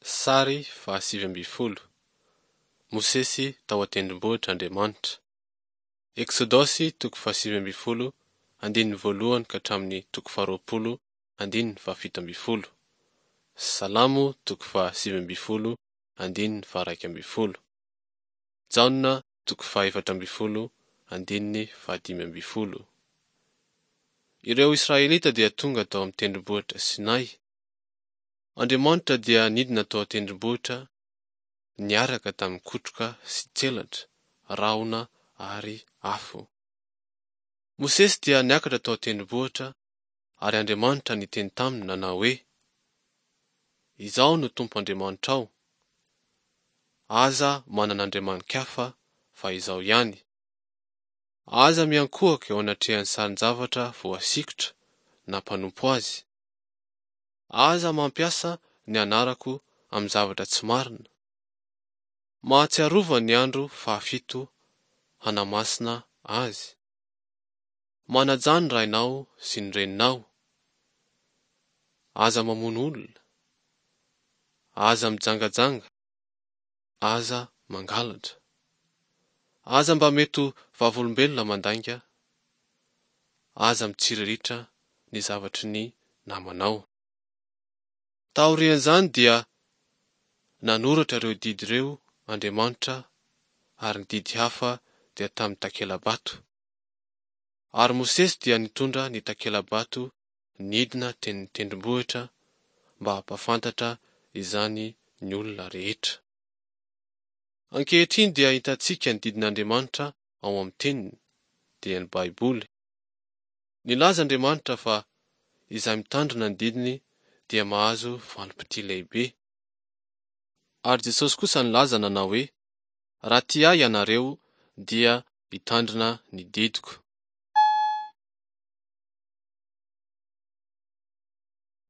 Sary faha-19. Mosesy tao an-tendrombohitr' Andriamanitra. Eksodosy toko faha-19 andininy voalohany ka hatramin'ny toko faha-20 andininy faha-17. Salamo toko faha-19 andininy faha-11. Jaona toko faha-14 andininy faha-15. Ireo Israelita dia tonga tao amin'ny tendrombohitra Sinay. Andriamanitra dia nidina tao an-tendrombohitra niaraka tamin'ny kotroka sy tselatra, rahona ary afo. Mosesy dia niakatra tao an-tendrombohitra ary Andriamanitra niteny taminy nanao hoe, Izaho no Tompo Andriamanitrao, aza manana andriamani-kafa fa Izaho ihany. Aza miankohoka eo anatrehan'ny sarin-javatra voasikotra na mpanompo azy. Aza mampiasa ny anarako amin'ny zavatra tsy marina. Mahatsiarova ny andro fahafito hanamasina azy. Manajà ny rainao sy ny reninao. Aza mamono olona. Aza mijangajanga. Aza mangalatra. Aza mba mety ho vavolombelona mandainga. Aza mitsiriritra ny zavatry ny namanao. Taorian'izany dia nanoratra ireo didy ireo Andriamanitra ary ny didy hafa dia tamin'ny takela-bato. Ary Mosesy dia nitondra ny takela-bato nidina teny tendrombohitra mba hampahafantatra izany ny olona rehetra. Ankehitriny dia hitantsika ny didin'Andriamanitra ao amin'ny Teniny, dia ny Baiboly. Nilaza Andriamanitra fa izay mitandrina ny didiny dia mahazo valim-pitia lehibe. Ary Jesosy kosa nilaza nanao hoe, Raha tia Ahy ianareo, dia hitandrina ny didiko.